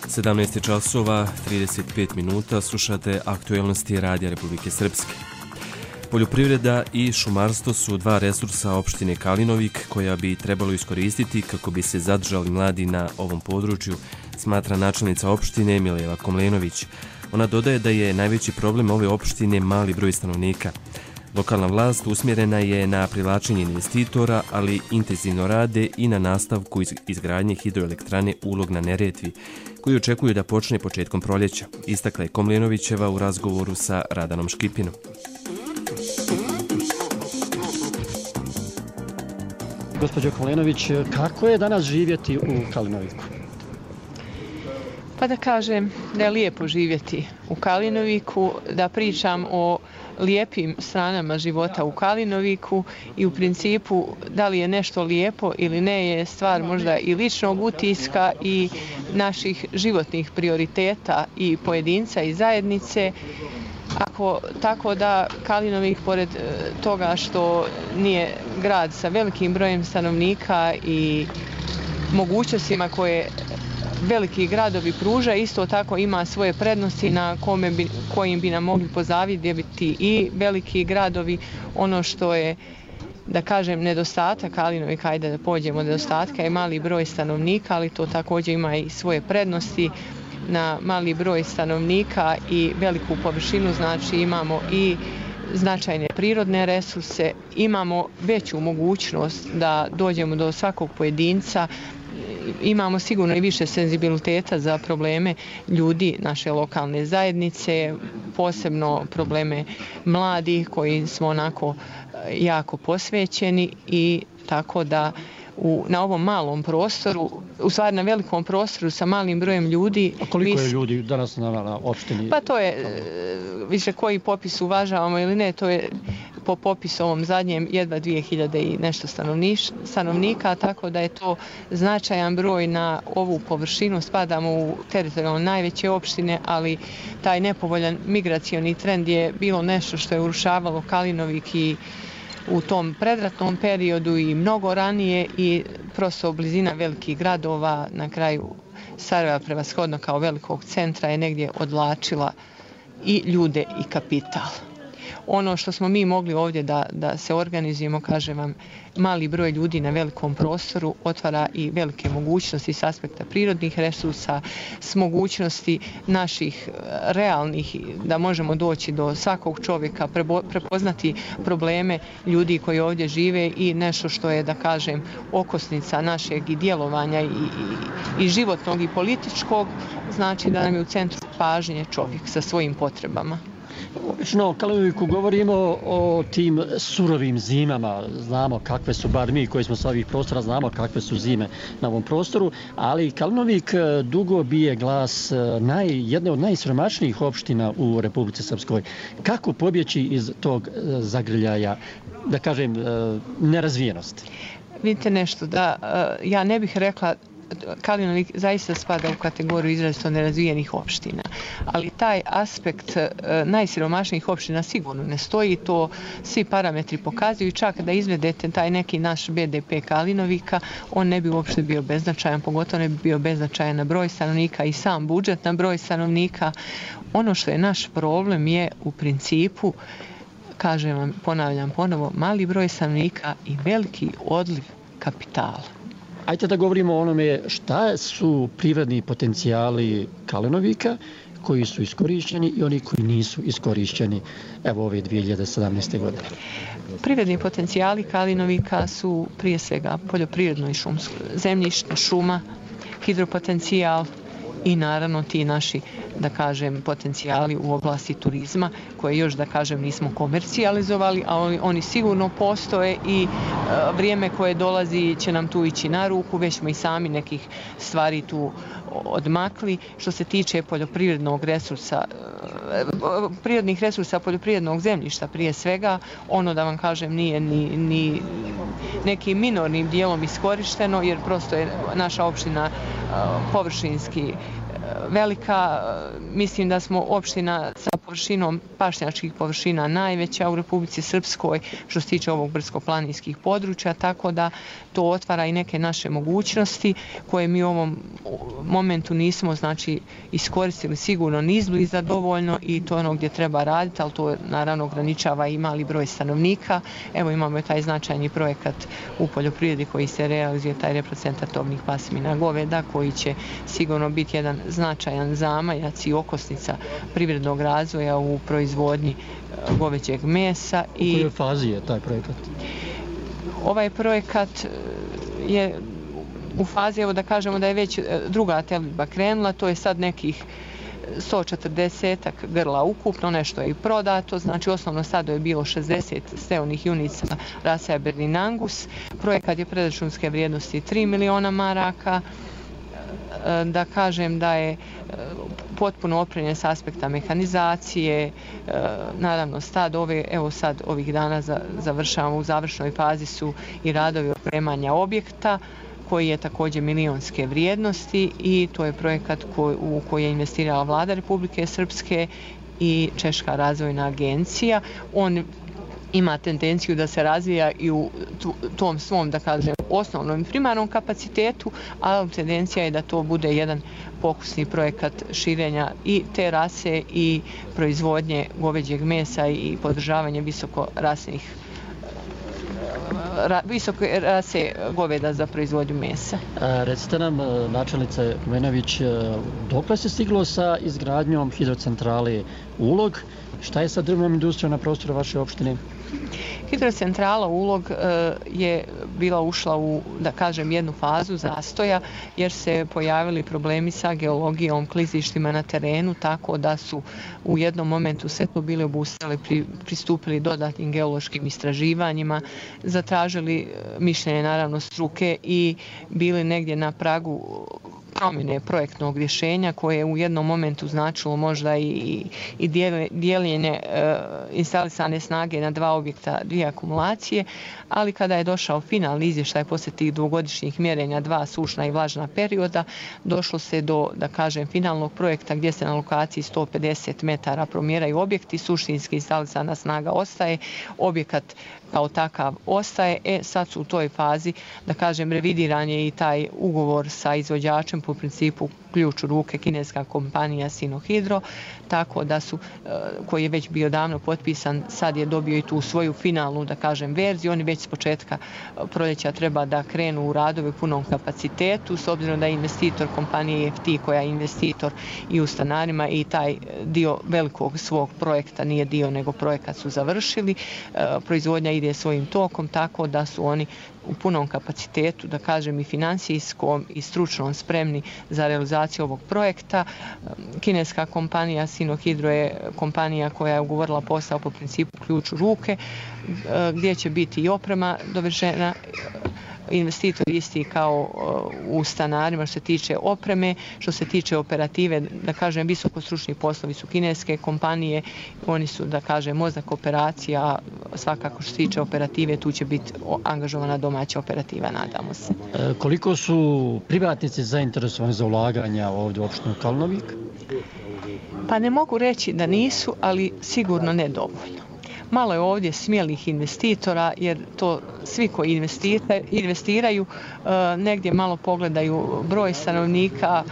Sedamnaest časova 35 minuta, slušate aktualnosti Radija Republike Srpske. Poljoprivreda i šumarstvo su 2 resursa opštine Kalinovik koja bi trebalo iskoristiti kako bi se zadržali mladi na ovom području, smatra načelnica opštine Mileva Komlenović. Ona dodaje da je najveći problem ove opštine mali broj stanovnika. Lokalna vlast usmjerena je na privlačenje investitora, ali intenzivno rade i na nastavku izgradnje hidroelektrane Ulog na Neretvi, koju očekuju da počne početkom proljeća, istakla je Komlenovićeva u razgovoru sa Radanom Škipinom. Gospođo Komlenović, kako je danas živjeti u Kalinoviku? Pa da kažem da je lijepo živjeti u Kalinoviku, da pričam o lijepim stranama života u Kalinoviku i u principu da li je nešto lijepo ili ne je stvar možda i ličnog utiska i naših životnih prioriteta i pojedinca i zajednice. Tako da Kalinovik, pored toga što nije grad sa velikim brojem stanovnika i mogućnostima koje veliki gradovi pruža, isto tako ima svoje prednosti na kojim bi nam mogli pozavidjeti i veliki gradovi. Ono što je, da kažem, nedostatak Kalinovika, ajde da pođemo od nedostatka, je mali broj stanovnika, ali to također ima i svoje prednosti. Na mali broj stanovnika i veliku površinu, znači imamo i značajne prirodne resurse, imamo veću mogućnost da dođemo do svakog pojedinca imamo sigurno i više senzibiliteta za probleme ljudi naše lokalne zajednice, posebno probleme mladih koji smo onako jako posvećeni i tako da na ovom malom prostoru, u stvari na velikom prostoru sa malim brojem ljudi. A koliko je ljudi danas na opštini? Pa to je, više koji popis uvažavamo ili ne, to je po popisu ovom zadnjem jedva 2000 i nešto stanovnika, tako da je to značajan broj na ovu površinu. Spadamo u teritorijalno najveće opštine, ali taj nepovoljan migracioni trend je bilo nešto što je urušavalo Kalinovik i u tom predratnom periodu i mnogo ranije i prosto blizina velikih gradova, na kraju Sarajeva prevashodno kao velikog centra je negdje odvlačila i ljude i kapital. Ono što smo mi mogli ovdje da se organizujemo, kažem vam, mali broj ljudi na velikom prostoru otvara i velike mogućnosti s aspekta prirodnih resursa, s mogućnosti naših realnih, da možemo doći do svakog čovjeka, prepoznati probleme ljudi koji ovdje žive i nešto što je, da kažem, okosnica našeg i djelovanja i životnog i političkog, znači da nam je u centru pažnje čovjek sa svojim potrebama. Obično u Kalinoviku govorimo o tim surovim zimama, znamo kakve su, bar mi koji smo sa ovih prostora znamo kakve su zime na ovom prostoru, ali Kalinovik dugo bije glas jedne od najsiromašnijih opština u Republici Srpskoj. Kako pobjeći iz tog zagrljaja, da kažem, nerazvijenosti? Vidite nešto, da ja ne bih rekla Kalinovik zaista spada u kategoriju izrazito nerazvijenih opština, ali taj aspekt najsiromašnijih opština sigurno ne stoji, to svi parametri pokazuju, čak da izvedete taj neki naš BDP Kalinovika, on ne bi uopšte bio beznačajan, pogotovo ne bi bio beznačajan na broj stanovnika i sam budžet na broj stanovnika. Ono što je naš problem je u principu, kažem vam, ponavljam ponovo, mali broj stanovnika i veliki odliv kapitala. Ajde da govorimo o onome šta su privredni potencijali Kalinovika koji su iskorišćeni i oni koji nisu iskorišćeni evo ove 2017. godine. Privredni potencijali Kalinovika su prije svega poljoprivredno i šumsko zemljište, šuma, hidropotencijal i naravno ti naši, da kažem, potencijali u oblasti turizma koje još, da kažem, nismo komercijalizovali, a oni sigurno postoje i vrijeme koje dolazi će nam tu ići na ruku, već smo i sami nekih stvari tu odmakli. Što se tiče poljoprivrednog resursa, prirodnih resursa poljoprivrednog zemljišta prije svega, ono da vam kažem nije ni nekim minornim dijelom iskorišteno jer prosto je naša opština površinski velika. Mislim da smo opština sa površinom pašnjačkih površina najveća u Republici Srpskoj što se tiče ovog brdsko-planinskih područja, tako da to otvara i neke naše mogućnosti koje mi u ovom momentu nismo iskoristili sigurno ni izbliza dovoljno i to je ono gdje treba raditi, ali to naravno ograničava i mali broj stanovnika. Evo imamo taj značajni projekat u poljoprivredi koji se realizuje, taj reprocentar tovnih pasmina goveda koji će sigurno biti jedan značajan zamajac i okosnica privrednog razvoja u proizvodnji goveđeg mesa. U kojoj fazi je taj projekat? Ovaj projekat je u fazi, evo da kažemo da je već druga telidba krenula, to je sad nekih 140 grla ukupno, nešto je i prodato, znači osnovno stado je bilo 60 steonih junica rase Aberdeen Angus, projekat je predračunske vrijednosti 3 miliona maraka, da kažem da je potpuno opremljen s aspekta mehanizacije, naravno stad evo sad ovih dana završavamo, u završnoj fazi su i radovi opremanja objekta koji je također milionske vrijednosti i to je projekat u koji je investirala Vlada Republike Srpske i Češka razvojna agencija. On ima tendenciju da se razvija i u tom svom, da kažem, osnovnom i primarnom kapacitetu, ali tendencija je da to bude jedan pokusni projekat širenja i te rase i proizvodnje goveđeg mesa i podržavanje visoke rase goveda za proizvodnju mesa. Recite nam, načelnice Kumenović, dokle se stiglo sa izgradnjom hidrocentrale Ulog? Šta je sa drvnom industrijom na prostoru vaše opštine? Hidrocentrala Ulog je bila ušla u, da kažem, jednu fazu zastoja jer se pojavili problemi sa geologijom, klizištima na terenu, tako da su u jednom momentu sve to bili obustali, pristupili dodatnim geološkim istraživanjima, zatražili mišljenje naravno struke i bili negdje na pragu promjene projektnog rješenja koje je u jednom momentu značilo možda i dijeljenje instalisane snage na 2 objekta, 2 akumulacije, ali kada je došao finalni izvještaj poslije tih dvogodišnjih mjerenja 2 sušna i vlažna perioda, došlo se do, da kažem, finalnog projekta gdje se na lokaciji 150 metara promjeraju objekti, suštinski instalisana snaga ostaje, objekat kao takav ostaje. Sad su u toj fazi, da kažem, revidiran je i taj ugovor sa izvođačem po principu ključ u ruke, kineska kompanija Sinohydro, tako da su, koji je već bio davno potpisan, sad je dobio i tu svoju finalnu, da kažem, verziju. Oni već s početka proljeća treba da krenu u radove u punom kapacitetu, s obzirom da je investitor kompanije EFT koja je investitor i u stanarima i taj dio velikog svog projekta, nije dio nego projekat su završili. Proizvodnja ide svojim tokom, tako da su oni u punom kapacitetu, da kažem, i financijskom i stručnom spremni za realizaciju ovog projekta. Kineska kompanija Sinohydro je kompanija koja je ugovorila posao po principu ključ u ruke, gdje će biti i oprema dovršena, investitor isti kao u stanarima što se tiče opreme, što se tiče operative, da kažem, visokostručni poslovi su kineske kompanije, oni su, da kažem, mozak operacija, svakako što se tiče operative, tu će biti angažovana domaća operativa, nadamo se. Koliko su privatnici zainteresovani za ulaganja ovdje u opštinu Kalnovik? Pa ne mogu reći da nisu, ali sigurno nedovoljno. Malo je ovdje smjelih investitora jer to svi koji investiraju negdje malo pogledaju broj stanovnika,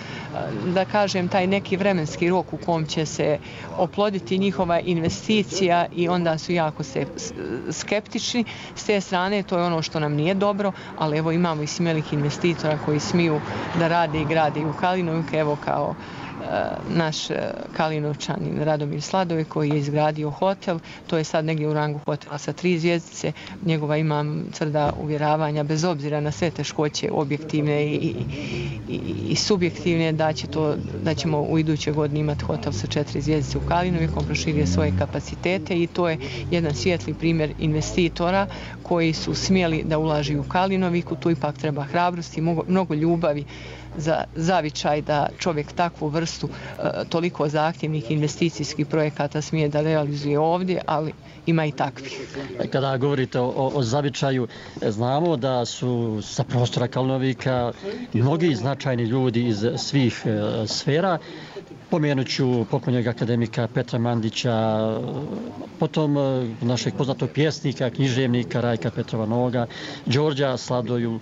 da kažem taj neki vremenski rok u kom će se oploditi njihova investicija i onda su jako skeptični. S te strane to je ono što nam nije dobro, ali evo imamo i smjelih investitora koji smiju da rade i grade i u Kalinoviku, evo kao naš Kalinovčanin Radomir Sladove koji je izgradio hotel, to je sad negdje u rangu hotela sa 3 zvjezdice, njegova imam tvrda uvjeravanja bez obzira na sve teškoće objektivne i subjektivne da ćemo u idućoj godini imati hotel sa 4 zvjezdice u Kalinoviku, on proširio svoje kapacitete i to je jedan svijetli primjer investitora koji su smjeli da ulaži u Kalinoviku, tu ipak treba hrabrosti, mnogo ljubavi za zavičaj da čovjek takvu vrstu toliko zahtjevnih investicijskih projekata smije da realizuje ovdje, ali ima i takvih. Kada govorite o zavičaju, znamo da su sa prostora Kalnovika mnogi značajni ljudi iz svih sfera. Pomenut ću pokojnog akademika Petra Mandića, potom našeg poznatog pjesnika, književnika Rajka Petrova Noga, Đorđa Sladoju,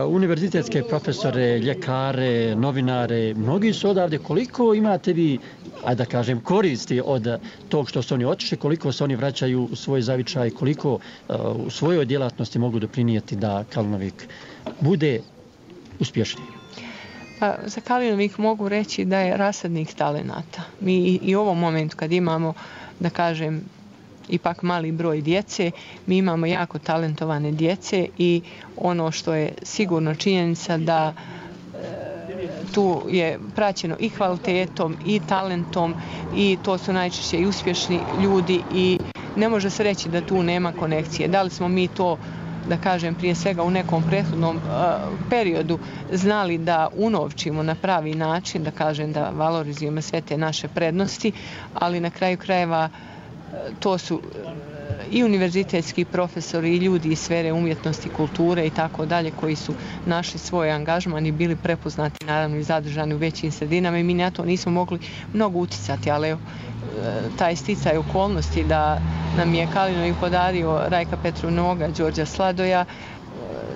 univerzitetske profesore, ljekare, novinare. Mnogi su odavde. Koliko imate vi, ajde da kažem, koristi od tog što su oni otišli, koliko se oni vraćaju u svoj zavičaj, koliko u svojoj djelatnosti mogu doprinijeti da Kalnovik bude uspješniji? Pa za Kalinovik mogu reći da je rasadnik talenata. Mi i u ovom momentu kad imamo, da kažem, ipak mali broj djece, mi imamo jako talentovane djece i ono što je sigurno činjenica da tu je praćeno i kvalitetom i talentom i to su najčešće i uspješni ljudi i ne može se reći da tu nema konekcije. Da li smo mi to, da kažem, prije svega u nekom prethodnom periodu znali da unovčimo na pravi način, da kažem da valorizujemo sve te naše prednosti, ali na kraju krajeva to su i univerzitetski profesori i ljudi iz sfere umjetnosti, kulture i tako dalje koji su našli svoj angažman i bili prepoznati naravno i zadržani u većim sredinama i mi na to nismo mogli mnogo uticati, ali evo, taj sticaj okolnosti da nam je Kalinovik podario Rajka Petrov Noga, Đorđa Sladoja,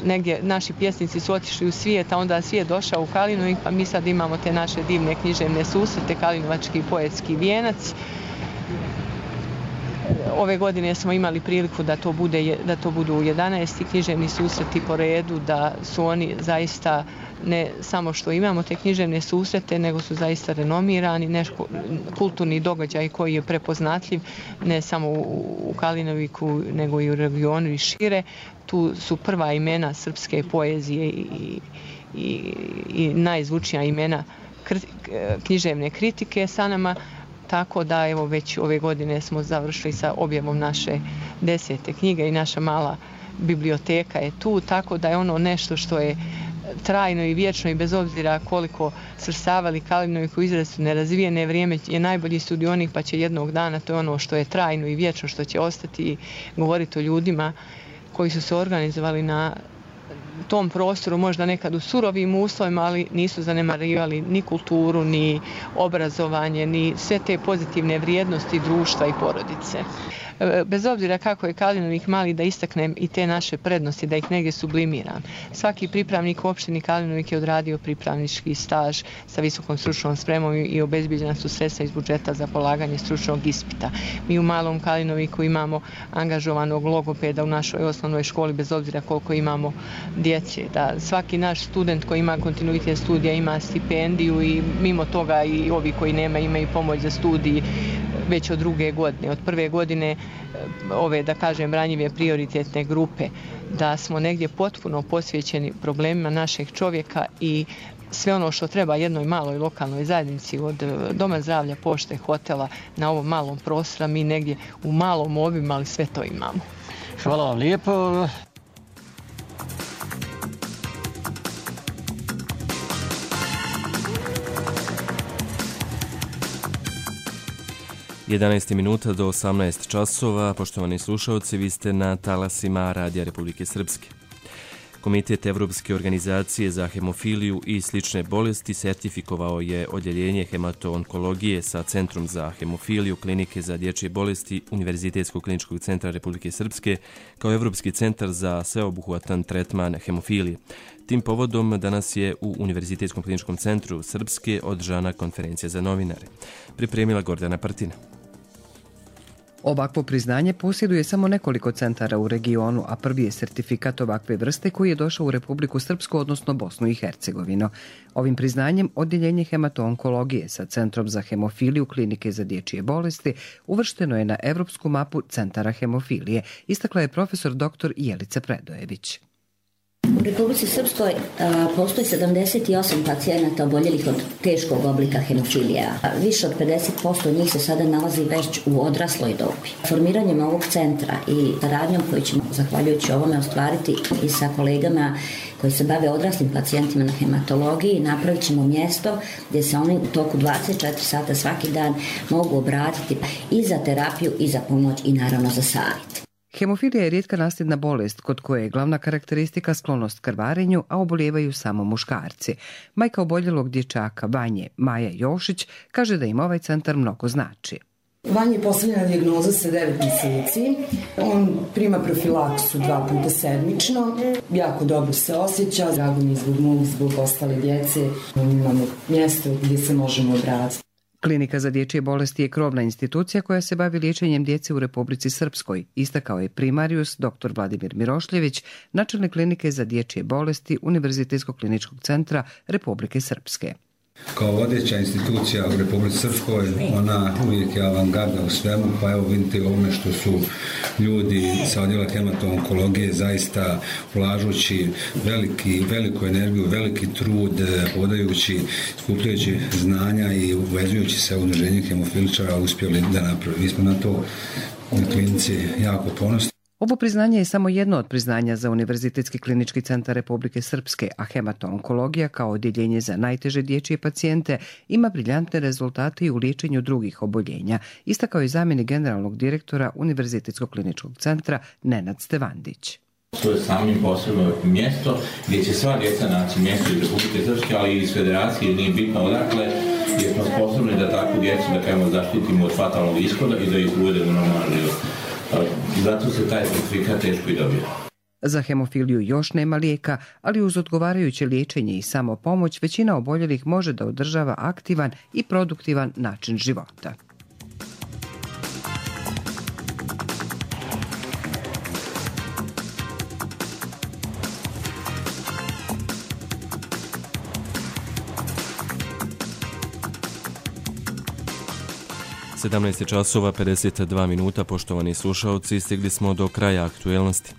negdje naši pjesnici su otišli u svijet, a onda svijet došao u Kalinovik, pa mi sad imamo te naše divne književne susrete, Kalinovački poetski vijenac. Ove godine smo imali priliku da to budu 11 književni susreti po redu, da su oni zaista ne samo što imamo te književne susrete, nego su zaista renomirani, kulturni događaj koji je prepoznatljiv ne samo u Kalinoviku, nego i u regionu i šire. Tu su prva imena srpske poezije i najzvučnija imena književne kritike sa nama, tako da evo već ove godine smo završili sa objavom naše 10. knjige i naša mala biblioteka je tu, tako da je ono nešto što je trajno i vječno i bez obzira koliko svrstavali Kalinoviku u izrazito nerazvijene, vrijeme je najbolji studionik pa će jednog dana, to je ono što je trajno i vječno, što će ostati i govoriti o ljudima koji su se organizovali na tom prostoru, možda nekad u surovim uslovima, ali nisu zanemarivali ni kulturu, ni obrazovanje, ni sve te pozitivne vrijednosti društva i porodice. Bez obzira kako je Kalinovik mali, da istaknem i te naše prednosti, da ih negdje sublimiram. Svaki pripravnik u opštini Kalinovik je odradio pripravnički staž sa visokom stručnom spremom i obezbijeđena su sredstva iz budžeta za polaganje stručnog ispita. Mi u malom Kalinoviku imamo angažovanog logopeda u našoj osnovnoj školi, bez obzira koliko imamo djece. Da svaki naš student koji ima kontinuitet studija ima stipendiju i mimo toga i ovi koji nema imaju pomoć za studij već od druge godine. Od prve godine ove, da kažem, ranjive prioritetne grupe, da smo negdje potpuno posvećeni problemima našeg čovjeka i sve ono što treba jednoj maloj lokalnoj zajednici, od doma zdravlja, pošte, hotela, na ovom malom prostoru, mi negdje u malom obimu, ali sve to imamo. Hvala vam lijepo. Jedanaest minuta do 18 časova. Poštovani slušalci, vi ste na talasima Radija Republike Srpske. Komitet Evropske organizacije za hemofiliju i slične bolesti sertifikovao je odjeljenje hematoonkologije sa Centrom za hemofiliju Klinike za dječje bolesti Univerzitetskog kliničkog centra Republike Srpske kao Evropski centar za sveobuhvatan tretman hemofilije. Tim povodom danas je u Univerzitetskom kliničkom centru Srpske održana konferencija za novinare. Pripremila Gordana Partina. Ovakvo priznanje posjeduje samo nekoliko centara u regionu, a prvi je sertifikat ovakve vrste koji je došao u Republiku Srpsku, odnosno Bosnu i Hercegovinu. Ovim priznanjem odjeljenje hematoonkologije sa Centrom za hemofiliju Klinike za dječje bolesti uvršteno je na evropsku mapu centara hemofilije, istakla je profesor dr. Jelica Predojević. U Republici Srpskoj postoji 78 pacijenata oboljelih od teškog oblika hemofilija. Više od 50% njih se sada nalazi već u odrasloj dobi. Formiranjem ovog centra i saradnjom koju ćemo, zahvaljujući ovome, ostvariti i sa kolegama koji se bave odraslim pacijentima na hematologiji, napravit ćemo mjesto gdje se oni u toku 24 sata svaki dan mogu obratiti i za terapiju i za pomoć i naravno za savjet. Hemofilija je rijetka nasljedna bolest kod koje je glavna karakteristika sklonost krvarenju, a obolijevaju samo muškarci. Majka oboljelog dječaka Vanje, Maja Jošić, kaže da im ovaj centar mnogo znači. Vanje je postavljena dijagnoza sa 9 mjeseci. On prima profilaksu 2 puta sedmično. Jako dobro se osjeća. Drago mi je zbog mog, zbog ostale djece. Imamo mjesto gdje se možemo obratiti. Klinika za dječje bolesti je krovna institucija koja se bavi liječenjem djece u Republici Srpskoj, istakao je primarijus dr. Vladimir Mirošljević, načelnik Klinike za dječje bolesti Univerzitetskog kliničkog centra Republike Srpske. Kao vodeća institucija u Republici Srpskoj, ona uvijek je avangarda u svemu, pa evo vidite ovome što su ljudi sa odjela hematoonkologije zaista ulažući veliku energiju, veliki trud, podajući, skupljajući znanja i uvezujući se u udruženje hemofiličara uspjeli da napravi. Mi smo na to u klinici jako ponosni. Ovo priznanje je samo jedno od priznanja za Univerzitetski klinički centar Republike Srpske, a hematoonkologija kao odjeljenje za najteže dječje pacijente ima briljantne rezultate i u liječenju drugih oboljenja, istakao je zamjenik generalnog direktora Univerzitetskog kliničkog centra Nenad Stevandić. To je samim posebno mjesto gdje će sva djeca naći mjesto iz Republike Srpske, ali i iz federacije, nije bitno odakle, jer smo sposobni da takvu djecu, da kažemo, zaštitimo od fatalnog ishoda i da ih uvedemo u normalan život. Zato se taj certifikat teško i dobije. Za hemofiliju još nema lijeka, ali uz odgovarajuće liječenje i samopomoć većina oboljelih može da održava aktivan i produktivan način života. 17 časova 52 minuta, poštovani slušalci, stigli smo do kraja aktuelnosti.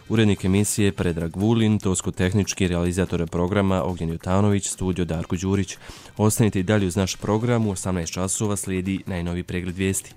Urednik emisije Predrag Vulin, tosko-tehnički realizator programa Ognjen Jutanović, studio Darko Đurić. Ostanite i dalje uz naš program, u 18 časova slijedi najnovi pregled vijesti.